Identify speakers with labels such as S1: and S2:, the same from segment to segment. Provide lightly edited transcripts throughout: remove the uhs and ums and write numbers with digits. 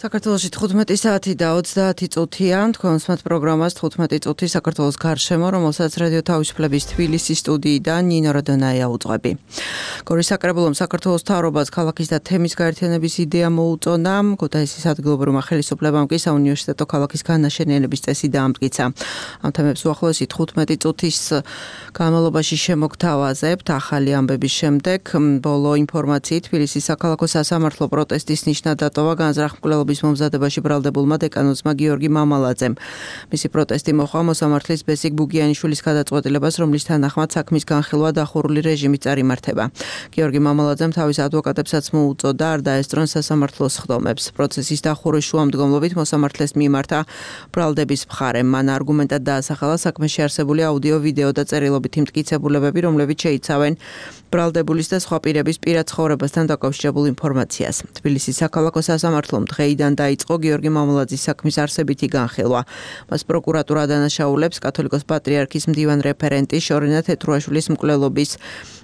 S1: საქართველოში 15 საათი და 30 წუთია, თქვენ უსმენთ პროგრამას 15 წუთი საქართველოს გარშემო, რომელსაც რადიო თავისუფლების თბილისის სტუდიიდან ნინო როდონაია უძღვები. გორის საკრებულომ საქართველოს მთავრობას ქალაქის და თემის გაერთიანების იდეა მოუწონა, ქუთაისის ადგილობრივმა ხელისუფლებამ კი საუნივერსიტეტო ქალაქის განაშენიანების წესი დაამტკიცა. ამ თემებს უახლოესი 15 წუთის განმავლობაში შემოგთავაზებთ. ახალი ამბების შემდეგ ბოლო ინფორმაციით თბილისის საქალაქო სასამართლო პროტესტის ნიშნად დატოვა განზრახ-მკვლელობის მომზადებაში ბრალდებულმა დეკანოზმა გიორგი მამალაძემ. მისი პროტესტი მოჰყვა მოსამართლის ბესიკ ბუგიანიშვილის გადაწყვეტილებას, რომლის თანახმად საქმის განხილვა დახურული რეჟიმით წარიმართება. გიორგი მამალაძემ თავის ადვოკატებსაც მოუწოდა არ დაესწრონ სასამართლოს სხდომებს. პროცესის დახურვის შუამდგომლობით მოსამართლეს მიმართა ბრალდების მხარე. მან არგუმენტად დაასახელა საქმეში არსებული აუდიო, ვიდეო და წერილობითი მტკიცებულებები, რომლებიც შეიცავენ ბრალდებულის და სხვა პირების პირად ცხოვრებასთან დაკავშირებულ ინფორმაციას. თბილისის საქალაქო სასამართლომ დღეიდან დაიწყო გიორგი მამალაძის საქმის არსებითი განხილვა. მას პროკურატურა დანაშაულებს კათოლიკოს პატრიარქის მდივან რეფერენტი შორენა თეთრუაშვილის მკვლელობის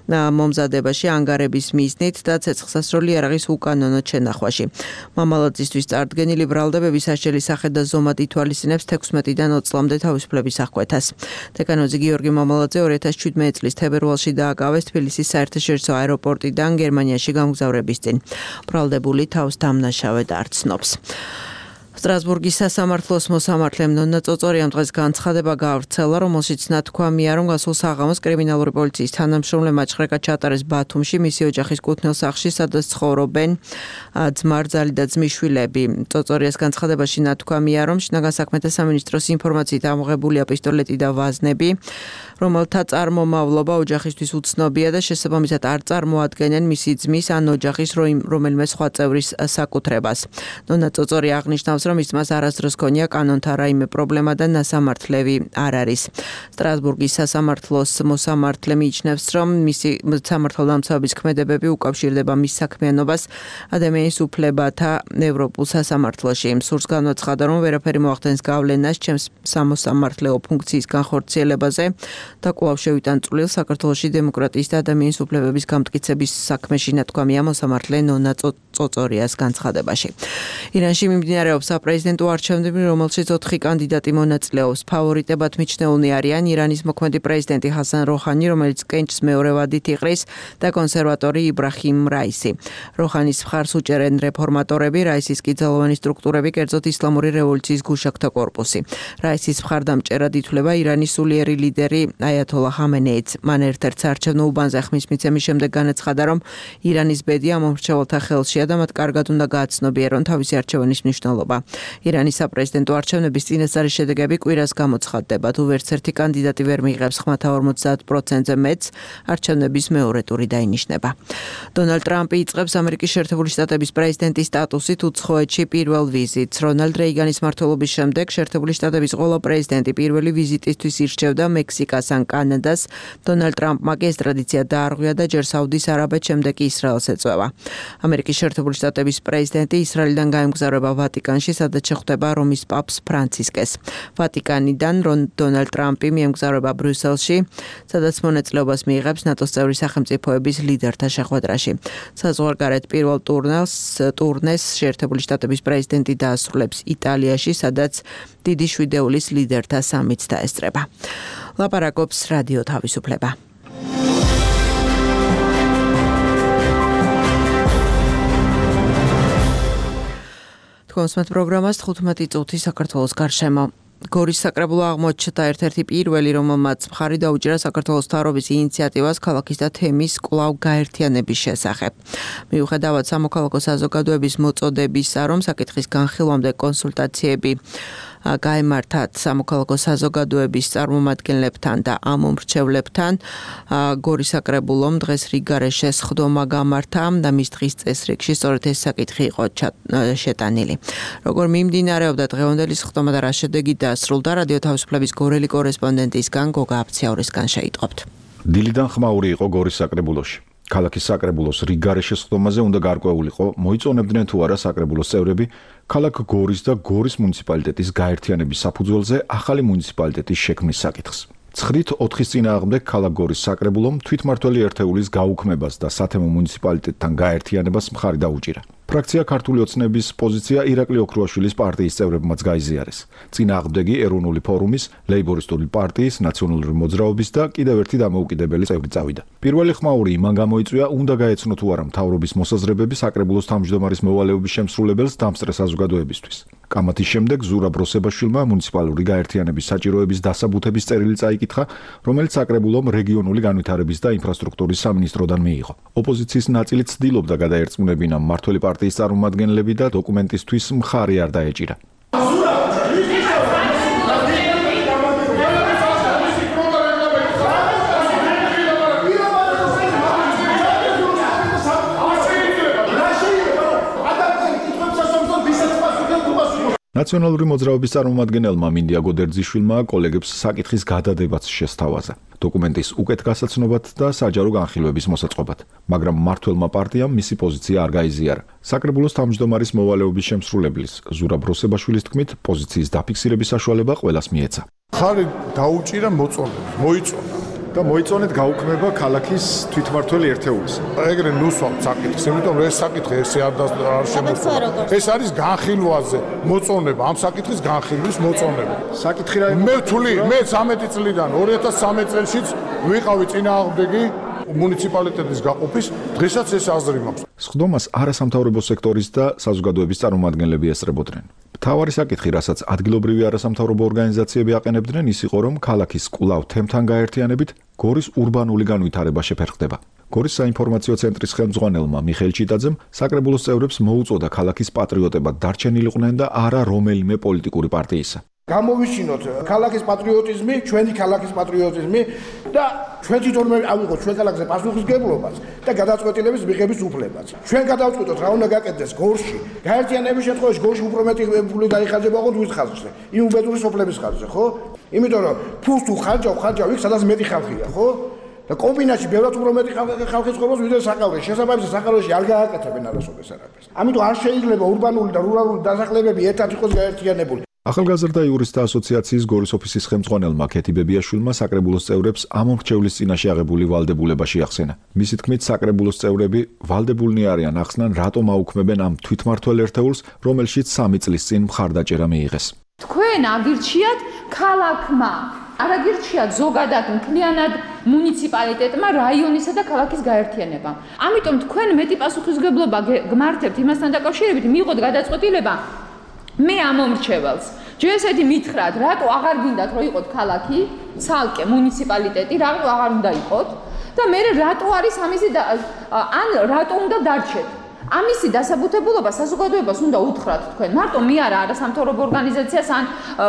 S1: მომზადებაში ანგარების მიზნით და ცეცხლსასროლი იარაღის უკანონოდ შენახვაში. მამალაძისთვის წარდგენილი ბრალდებები სასჯელი სახე და ზომად ითვალისწინებს 16-დან 20 წლამდე თავისუფლების აღკვეთას. დეკანოზი გიორგი მამალაძე 2017 წლის თებერვალში დააკავეს თბილისის საერთაშორისო აეროპორტიდან გერმანიაში გამგზავრების წინ. ბრალდებული თავს დამნაშავედ არ ცნობს. სტრასბურგის სასამართლოს მოსამართლემ ნონა წოწორიამ დღეს განცხადება გაავრცელა, რომელშიც ნათქვამია, რომ გასულ საღამოს კრიმინალური პოლიციის თანამშრომლებმა ჭხრეკა ჩატარეს ბათუმში, მისი ოჯახის კუთვნილ სახლში, სადაც ცხოვრობენ ძმარძალი და ძმისშვილები. წოწორიას განცხადებაში ნათქვამია, რომ შინაგან საქმეთა სამინისტროს ინფორმაციით ამოღებულია პისტოლეტი და ვაზნები, რომელთა წარმომავლობა ოჯახისთვის უცნობია და შესაბამისად არ წარმოადგენენ მისი ძმის ან ოჯახის რომელიმე სხვა წევრის საკუთრებას. ნონა წოწორი აღნიშნავს, რომ ის მას არასდროს ქონია კანონთან რაიმე პრობლემა და ნასამართლევი არ არის. სტრასბურგის სასამართლოს მოსამართლე მიიჩნევს, რომ მისი სამართალდამცავების ქმედებები უკავშირდება მის საქმიანობას ადამიანის უფლებათა ევროპულ სასამართლოში. სურს განაცხადა, რომ ვერაფერი მოახდენს გავლენას ჩემს სამოსამართლეო ფუნქციის განხორციელებაზე და კვლავ შევიტან წვლილ საქართველოში დემოკრატიის და ადამიანის უფლებების გამტკიცების საქმეში, ნათქვამია მოსამართლე ნონა წოწორიას განცხადებაში. ირანში მიმდინარეობს საპრეზიდენტო არჩევნები, რომელშიც 4 კანდიდატი მონაწილეობს. ფავორიტებად მიჩნეულნი არიან ირანის მოქმედი პრეზიდენტი ჰასან როჰანი, რომელიც კენჭს მეორე ვადით იყრის და კონსერვატორი იბრაჰიმ რაისი. როჰანის მხარს უჭერენ რეფორმატორები, რაისის კი ძალოვანი სტრუქტურები, კერძოდ ისლამური რევოლუციის გუშაგთა კორპუსი. რაისის მხარდამჭერად ითვლება ირანის სულიერი ლიდერი აიათოლა ხამენეიც. მან ერთ-ერთ საარჩევნო უბანზე ხმის მიცემის შემდეგ განაცხადა, რომ ირანის ბედია მომრჩეველთა ხელშია და მათ კარგად უნდა გააცნობიერონ თავისი არჩევანის მნიშვნელობა. ირანის საპრეზიდენტო არჩევნების წინასწარი შედეგები კვირას გამოცხადდება. თუ ვერც ერთი კანდიდატი ვერ მიიღებს ხმათა 50%-ზე მეტს, არჩევნების მეორე ტური დაინიშნება. დონალდ ტრამპი იწყებს ამერიკის შეერთებული შტატების პრეზიდენტის სტატუსით უცხოეთში პირველ ვიზიტს. რონალდ რეიგანის მმართველობის შემდეგ შეერთებული შტატების ყველა პრეზიდენტი პირველი ვიზიტისთვის ირჩევდა მექსიკას ან კანადას. დონალდ ტრამპმა კი ეს ტრადიცია დაარღვია და ჯერ საუდის არაბეთს, შემდეგ კი ისრაელს ეწვევა. ამერიკის შეერთებული შტატების პრეზიდენტი ისრაელიდან გაემგზავრება ვატიკანში, სადაც შეხვდება რომის პაპს ფრანცისკეს. ვატიკანიდან დონალდ ტრამპი მიემგზავრება ბრიუსელში, სადაც მონაწილეობას მიიღებს ნატოს წევრი სახელმწიფოების ლიდერთა შეხვედრაში. საზღვარგარეთ პირველ ტურნეს შეერთებული შტატების პრეზიდენტი დაასრულებს იტალიაში, სადაც დიდი შვიდეულის ლიდერთა სამიტს დაესწრება. ლაპარაკობს რადიო თავისუფლება. თქვენ უსმენთ პროგრამას 15 წუთი საქართველოს გარშემო. გორის საკრებულო აღმოჩნდა ერთ-ერთი პირველი, რომელმაც მხარი დაუჭირა საქართველოს მთავრობის ინიციატივას ქალაქის და თემის კვლავ გაერთიანების შესახებ. მიუხედავად სამოქალაქო საზოგადოების მოწოდებისა, რომ საკითხის განხილვამდე კონსულტაციები გაემართათ სამოქალაქო საზოგადოების წარმომადგენლებთან და ამომრჩევლებთან, გორის საკრებულომ დღეს რიგგარეშე სხდომა გამართა და მის დღის წესრიგში სწორედ ეს საკითხი იყო შეტანილი. როგორ მიმდინარეობდა დღევანდელი სხდომა და რა შედეგი დასრულდა, რადიო თავისუფლების გორელი კორესპონდენტისგან გოგა აფციაურისგან შეიტყობთ.
S2: დილიდან ხმაური იყო გორის საკრებულოში. ქალაქის საკრებულოს რიგგარეშე სხდომაზე უნდა გარკვეულიყო, მოიწონებდნენ თუ არა საკრებულოს წევრები ქალაქ გორის და გორის მუნიციპალიტეტის გაერთიანების საფუძველზე ახალი მუნიციპალიტეტის შექმნის საკითხს. 9-4 წინააღმდეგ ქალაქ გორის საკრებულომ თვითმმართველი ერთეულის გაუქმებას და სათემო მუნიციპალიტეტთან გაერთიანებას მხარი დაუჭირა. ფრაქცია ქართული ოცნების პოზიცია ირაკლი ოქრუაშვილის პარტიის წევრებმაც გაიზიარეს. წინააღმდეგი ეროვნული ფორუმის, ლეიბორისტული პარტიის, ნაციონალური მოძრაობის და კიდევ ერთი დამოუკიდებელი წევრი წავიდა. პირველი ხმაური იმან გამოიწვია, უნდა გაეცნო თუ არა მთავრობის მოსაზრებები საკრებულოს თავმჯდომარის მოვალეობის შემსრულებელს დამსწრე საზოგადოებისთვის. კამათის შემდეგ ზურაბ როსებაშვილმა მუნიციპალური გაერთიანების საჭიროების დასაბუთების წერილი წაიკითხა, რომელიც საკრებულომ რეგიონული განვითარების და ინფრასტრუქტურის სამინისტროდან მიიღო. ოპოზიციის ნაწილი ცდილობდა გადაერწმუნებინა მმართველი პარტიის წარმომადგენლები და დოკუმენტისთვის მხარი არ დაეჭირა. ნაციონალური მოძრაობის წარმომადგენელმა მინდია გოდერძიშვილმა კოლეგებს საკითხის გადადებაც შესთავაზა. დოკუმენტის უკეთ გასაცნობად და საჯარო განხილვების მოსაწყობად, მაგრამ მმართველმა პარტიამ მისი პოზიცია არ გაიზიარა. საკრებულოს თავმჯდომარის მოვალეობის შემსრულებლის ზურაბ როსებაშვილის თქმით, პოზიციის დაფიქსირების საშუალება ყველას მიეცა.
S3: ხარი დაუჭირა მოწონებს, მოიწონა
S2: და მოიწონეთ გაუქმება ქალაქის თვითმმართველი ერთეულის.
S3: ეგრე ნუსვავთ საკითხს, იმიტომ რომ ეს საკითხი ესე არ შემოწმება. ეს არის განხილვაზე მოწონება, ამ საკითხის განხილვის მოწონება.
S2: საკითხი რა
S3: მე ვთვლი, მე 13 წლიდან 2013 წელშიც ვიყავი წინააღმდეგი მუნიციპალიტეტის გაყოფის, დღესაც ეს აზრი მაქვს.
S2: სხდომას არასამთავრობო სექტორის და საზოგადოების წარმომადგენლები ესწრებოდნენ. მთავარი საკითხი, რასაც ადგილობრივი არასამთავრობო ორგანიზაციები აყენებდნენ, ის იყო, რომ ქალაქის კვლავ თემთან გაერთიანებით გორის ურბანული განვითარება შეფერხდება. გორის საინფორმაციო ცენტრის ხელმძღვანელმა მიხეილ ჩიტაძემ საკრებულოს წევრებს მოუწოდა ქალაქის პატრიოტებად დარჩენილიყვნენ და არა რომელიმე პოლიტიკური პარტიისა.
S4: გამოვიშინოთ ქალაქის პატრიოტიზმი, ჩვენი ქალაქის პატრიოტიზმი და ჩვენ თვითონვე ავიღოთ ჩვენ ქალაქზე პასუხისმგებლობას და გადაწყვეტილების მიღების უფლებაც. ჩვენ გადავწყვიტოთ რა უნდა გაკეთდეს გორში. გაერთიანების შემთხვევაში გორში უფრო მეტი ფული დაიხარჯება ხო ვის ხაზზე? იმ უბედური სოფლების ხაზზე, ხო? იმიტომ რომ ფულს თუ ხარჯავ იქ სადაც მეტი ხალხია, ხო? და კომბინაციაში ბევრად უფრო მეტი ხალხი ცხოვრობს ვიდრე საკავეში. შესაბამისად საკავეში არ გააკეთებენ არასოდეს არაფერს. ამიტომ არ შეიძლება ურბანული და რურალური დასახლებები ერთად იყოს გაერთიანებული.
S2: ახალგაზრდა იურისტთა ასოციაციის გორის ოფისის ხელმძღვანელმა ქეთი ბებიაშვილმა საკრებულოს წევრებს ამ მომრჩევლის წინაშე აღებული ვალდებულება შეახსენა. მისი თქმით, საკრებულოს წევრები ვალდებულნი არიან ახსნან, რატომ აუქმებენ ამ თვითმმართველ ერთეულს, რომელშიც 3 წლის წინ მხარდაჭერა მიიღეს.
S5: თქვენ აგირჩიათ ქალაქმა, არ აგირჩიათ ზოგადად მთლიანად მუნიციპალიტეტმა, რაიონისა და ქალაქის გაერთიანებამ. ამიტომ თქვენ მეტი პასუხისმგებლობა გმართებთ იმასთან დაკავშირებით, მიიღოთ გადაწყვეტილება მე ამომრჩეველს ჯერსეთი მითხრათ, რატო აღარ გინდათ რომ იყოთ ქალაქი, ცალკე მუნიციპალიტეტი, რატო აღარ უნდა იყოთ და მე რატო არის ამისი ან რატო უნდა დარჩეთ. ამისი დასაბუთებულობა საზოგადოებას უნდა უთხრათ თქვენ. მარტო მე არა სამთავრობო ორგანიზაციას ან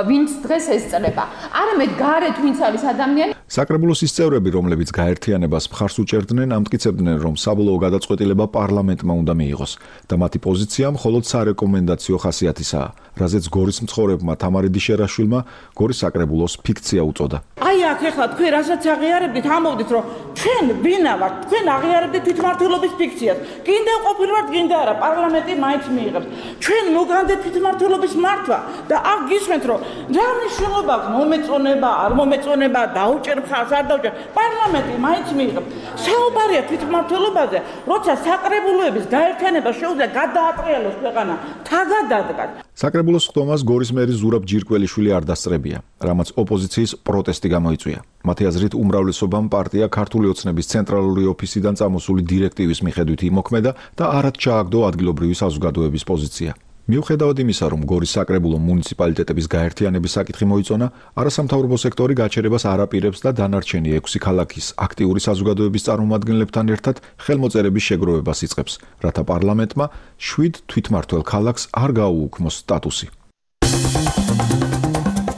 S5: ვინც დღეს ესწრება. არამედ გარეთ ვინც არის ადამიანი.
S2: საკრებულოს ის წევრები, რომლებიც გაერთიანებას მხარს უჭერდნენ, ამტკიცებდნენ, რომ საბოლოო გადაწყვეტილება პარლამენტმა უნდა მიიღოს და მათი პოზიცია მხოლოდ სარეკომენდაციო ხასიათისაა, რაზეც გორის მცხოვრებმა თამარი დიშერაშვილმა გორის საკრებულოს ფიქცია უწოდა.
S6: აი აქ ახლა თქვენ რასაც აღიარებდით, ამოვდით, რომ ჩვენ ვინა ვართ, თქვენ აღიარებდით თვითმმართველობის ფიქციას. გინდა ყოფილვართ, გინდა არა, პარლამენტი მაინც მიიღებს. ჩვენ მოგანდეთ თვითმმართველობის მართვა და აქ გისმენთ, რომ რა მნიშვნელობა აქვს მომეწონება, არ მომეწონება, დაუჭერ მხარს, არ დაუჭერ. პარლამენტი მაინც მიიღებს. საუბარია თვითმმართველობაზე, როცა საკრებულოების გაერთიანება შეუძლია გადაატრიალოს ქვეყანა, თაგადადგათ.
S2: საკრებულოს ხდომას გორის მერი ზურაბ ჯირკველიშვილი არ დასწრებია, რამაც ოპოზიციის პროტესტი გამოიწვია. მათი აზრით, უმრავლესობამ პარტია ქართული ოცნების ცენტრალური ოფისიდან წამოსული დირექტივის მიხედვით იმოქმედა და არად ჩააგდო ადგილობრივი საზოგადოების პოზიცია. მიუხედავად იმისა, რომ გორის საკრებულო მუნიციპალიტეტების გაერთიანების საკითხი მოიწონა, არასამთავრობო სექტორი გაჩერებას არ აპირებს და დანარჩენი 6 ქალაქის აქტიური საზოგადოების წარმომადგენლებთან ერთად ხელმოწერების შეგროვებას იწყებს, რათა პარლამენტმა 7 თვითმმართველ ქალაქს არ გაუუქმოს სტატუსი.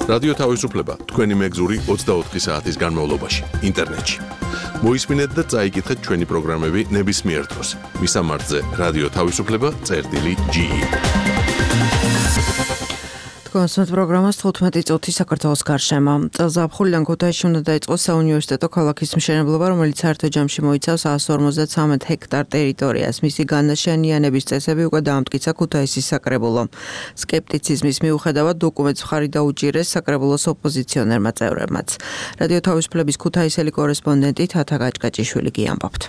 S7: რადიო თავისუფლება თქვენი მეგზური 24 საათის განმავლობაში ინტერნეტში. მოისმინეთ და წაიკითხეთ ჩვენი პროგრამები ნებისმიერ დროს. მისამართზე რადიო თავისუფლება.ge.
S1: კონსერტ პროგრამას 15 წუთი საქართველოს გარშემო. წელს ზაფხულიდან ქუთაისში უნდა დაიწყოს საუნივერსიტეტო ქალაქის მშენებლობა, რომელიც საერთო ჯამში მოიცავს 153 ჰექტარ ტერიტორიას. მისი განაშენიანების წესები უკვე დაამტკიცა ქუთაისის საკრებულომ. სკეპტიციზმის მიუხედავად დოკუმენტს მხარი დაუჭირეს საკრებულოს ოპოზიციონერმა წევრებმაც. რადიო თავისუფლების ქუთაისელი კორესპონდენტი თათა გაჭკაჭიშვილი კი ამბობთ.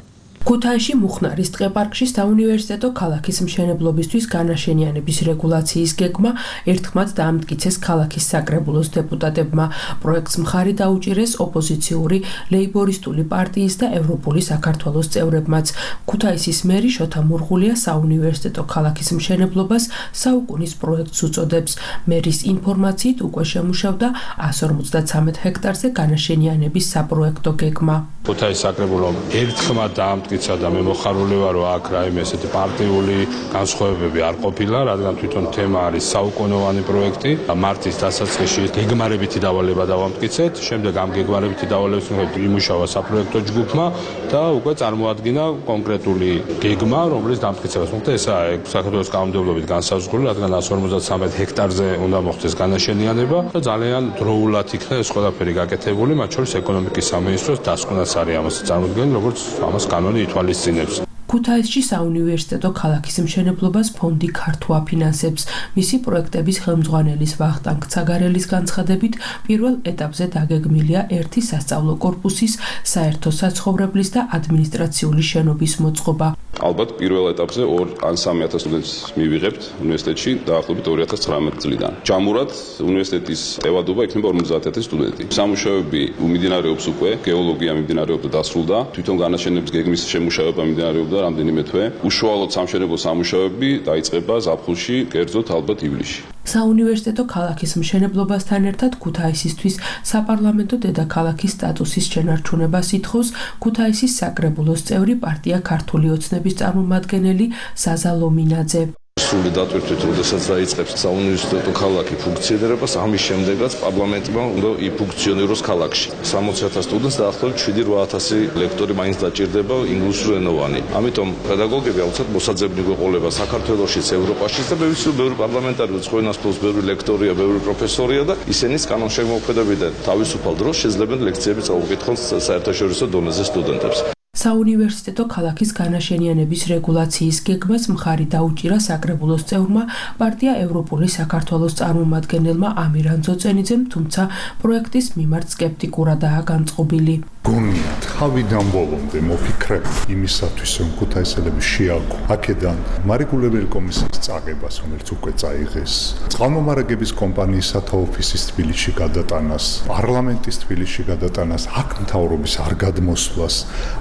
S8: ქუთაისში მუხნარის ტყეპარკში საუნივერსიტეტო ქალაქის მშენებლობისთვის განაშენიანების რეგულაციის გეგმა ერთხმად დაამტკიცეს ქალაქის საკრებულოს დეპუტატებმა. პროექტს მხარი დაუჭირეს ოპოზიციური ლეიბორისტული პარტიის და ევროპული საქართველოს წევრებმაც. ქუთაისის მერი შოთა მურღულია საუნივერსიტეტო ქალაქის მშენებლობას საუკუნის პროექტს უწოდებს. მერის ინფორმაციით უკვე შემუშავდა 153 ჰექტარზე განაშენიანების საპროექტო გეგმა.
S9: ქუთაისის საკრებულომ ერთხმად დაამტკიცა და მე მოხარული ვარ, რომ აქ რაიმე ესეთი პარტიული განსხვავებები არ ყოფილა, რადგან თვითონ თემა არის საუკუნოვანი პროექტი. მარტის დასაწყისში გეგმარებითი დავალება დავამტკიცეთ, შემდეგ ამ გეგმარებითი დავალების მიხედვით იმუშავა საპროექტო ჯგუფმა და უკვე წარმოადგინა კონკრეტული გეგმა, რომლის დამტკიცებას მოხდა. ესაა საქართველოს კანონმდებლობით განსაზღვრული, რადგან 153 ჰექტარზე უნდა მოხდეს განაშენიანება და ძალიან დროულად იქნა ეს ყველაფერი გაკეთებული, მათ შორის ეკონომიკის სამინისტროს დასკვნაც არის ამას წარმოქმნილი, როგორც ამას კანონი ითვალისწინებს.
S8: ქუთაისში საუნივერსიტეტო ქალაქის მშენებლობას ფონდი ქართო აფინანსებს. მისი პროექტების ხელმძღვანელის ვახტანგ ცაგარელის განცხადებით, პირველ ეტაპზე დაგეგმილია ერთი სასწავლო კორპუსის, საერთო საცხოვრებლის და ადმინისტრაციული შენობის მოწყობა.
S10: ალბათ პირველ ეტაპზე 2 ან 3000 სტუდენტს მივიღებთ უნივერსიტეტში დაახლოებით 2019 წლიდან. ჯამურად უნივერსიტეტის ტევადობა იქნება 50000 სტუდენტი. სამუშაოები მიმდინარეობს უკვე, გეოლოგია მიმდინარეობდა დასრულდა, თვითონ განაშენების გეგმის შემუშავება მიმდინარეობდა რამდენიმე თვე. უშუალოდ სამშენებლო სამუშაოები დაიწყება ზაფხულში, კერძოდ ალბათ ივლისში.
S8: საუნივერსიტეტო ქალაქის მშენებლობასთან ერთად ქუთაისისთვის საპარლამენტო დედაქალაქის სტატუსის შენარჩუნებას ითხოვს ქუთაისის საკრებულოს წევრი პარტია ქართული ოცნების წარმომადგენელი საზა ლომინაძე.
S11: სრული დატვირთვით, როდესაც დაიწყებს საუნივერსიტეტო ქალაქი ფუნქციონირებას, ამის შემდეგაც პარლამენტმა უნდა იფუნქციონიროს ქალაქში. 60,000 სტუდენტს დაახლოებით 7-8000 ლექტორი მაინც დაჭირდება ინგლისურენოვანი. ამიტომ პედაგოგები აუცილებლად მოსაძებნი გვეყოლება საქართველოშიც, ევროპაშიც და მე ვიცი, რომ ბევრი პარლამენტარი ცხენასწავლოს, ბევრი ლექტორია, ბევრი პროფესორია და ისინიც კანონშემოქმედებიდან თავისუფალ დროს შეძლებენ ლექციები წაუკითხონ საერთაშორისო დონეზე სტუდენტებს.
S8: საუნივერსიტეტო ქალაქის განაშენიანების რეგულაციის გეგმას მხარი დაუჭირა საკრებულოს წევრმა პარტია ევროპული საქართველოს წარმომადგენელმა ამირან ძოწენიძემ, თუმცა პროექტის მიმართ სკეპტიკურადაა განწყობილი.
S3: გონია თავიდან ბოლომდე მოფიქრებ იმისათვის, რომ ქუთაისელები შეაგო აქედან მარეგულირებელი კომისიის წაღებას, რომელიც უკვე წაიღეს, წყალმომარაგების კომპანიის სათა ოფისის თბილისში გადატანას, პარლამენტის თბილისში გადატანას, აქ მთავრობის არ გადმოსვლას.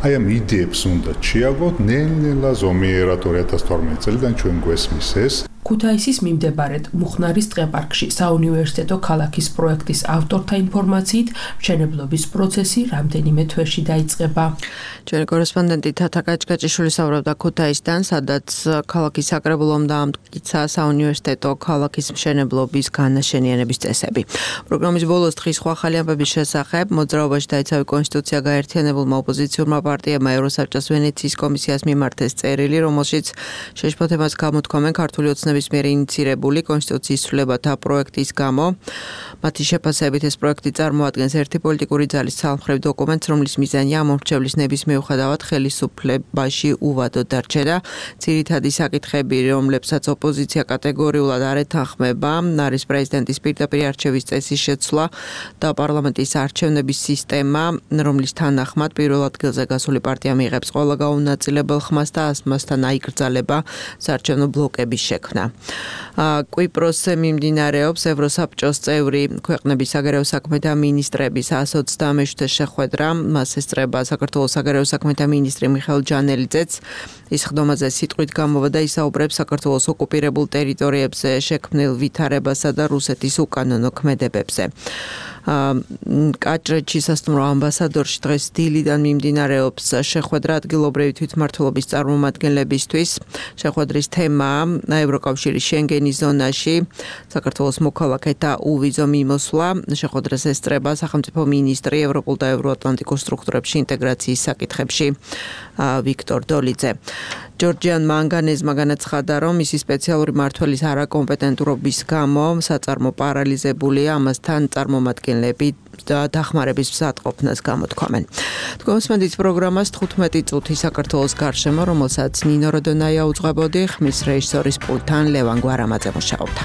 S3: აი ამ იდეებს უნდა შეაგოთ ნელ-ნელა ზომიერად 2012 წლიდან ჩვენ გვესმის ეს.
S8: ქუთაისის მიმდებარედ მუხნარის ტყეპარკში საუნივერსიტეტო ქალაქის პროექტის ავტორთა ინფორმაციით მშენებლობის პროცესი რამდენიმე თვეში დაიწყება.
S1: ჩვენი კორესპონდენტი თათა კაჭკაჭიშვილი საუბრობდა ქუთაისიდან, სადაც ქალაქის საკრებულომ დაამტკიცა საუნივერსიტეტო ქალაქის მშენებლობის განაშენიანების წესები. პროგრამის ბოლოს დღის სხვა ახალი ამბების შესახებ მოძრაობაში დაიცავა კონსტიტუცია გაერთიანებულმა ოპოზიციურმა პარტიებმა ევროსაბჭოს ვენეციის კომისიას მიმართეს წერილი, რომელშიც შეშფოთებას გამოთქვამენ ქართული ოცნების მიერ ინიცირებული კონსტიტუციის ცვლილებათა პროექტის გამო. მათი შეფასებით ეს პროექტი წარმოადგენს ერთი პოლიტიკური ძალის ცალმხრივ დოკუმენტს, რომლის მიზანია ამორჩევლის ნების მიუხედავად ხელისუფლებაში უვადოდ დარჩენა. ძირითადი საკითხები, რომლებსაც ოპოზიცია კატეგორიულად არ ეთანხმება, არის პრეზიდენტის პირდაპირ არჩევის წესის შეცვლა და პარლამენტის არჩევნების სისტემა, რომლის თანახმად პირველ ადგილზე გასული პარტია მიიღებს ყველა გაუნაწილებელ ხმას და ამასთან აიკრძალება საარჩევნო ბლოკების შექმნა. კვიპროსზე მიმდინარეობს ევროსაბჭოს წევრი ქვეყნების საგარეო საქმეთა მინისტრების 127 შეხვედრა. მას ესწრება საქართველოს საგარეო საქმეთა მინისტრი მიხეილ ჯანელიძეც. ის ხდომაზე სიტყვით გამოვიდა და ისაუბრებს საქართველოს ოკუპირებულ ტერიტორიებზე შექმნილ ვითარებასა და რუსეთის უკანონო ქმედებებზე. კაჭრეთში სასტუმრო ამბასადორში დღეს დილიდან მიმდინარეობს შეხვედრა ადგილობრივი თვითმმართველობის წარმომადგენლებისთვის. შეხვედრის თემაა ევროკავშირის შენგენის ზონაში საქართველოს მოქალაქეთა უვიზო მიმოსვლა. შეხვედრას ესწრება სახელმწიფო მინისტრი ევროპულ და ევროატლანტიკურ სტრუქტურებში ინტეგრაციის საკითხებში ვიქტორ დოლიძე. ჯორჯიან მანგანეზმა განაცხადა, რომ მისი სპეციალური მმართველის არაკომპეტენტურობის გამო საწარმო პარალიზებულია, ამასთან წარმომადგენლები და დახმარების მზადყოფნას გამოთქვამენ. თქვენს პროგრამას 15 წუთი საქართველოს გარშემო, რომელსაც ნინო როდონაია უძღვებოდი, ხმის რეჟისორის პულტთან ლევან გვარამაძე მუშაობდა.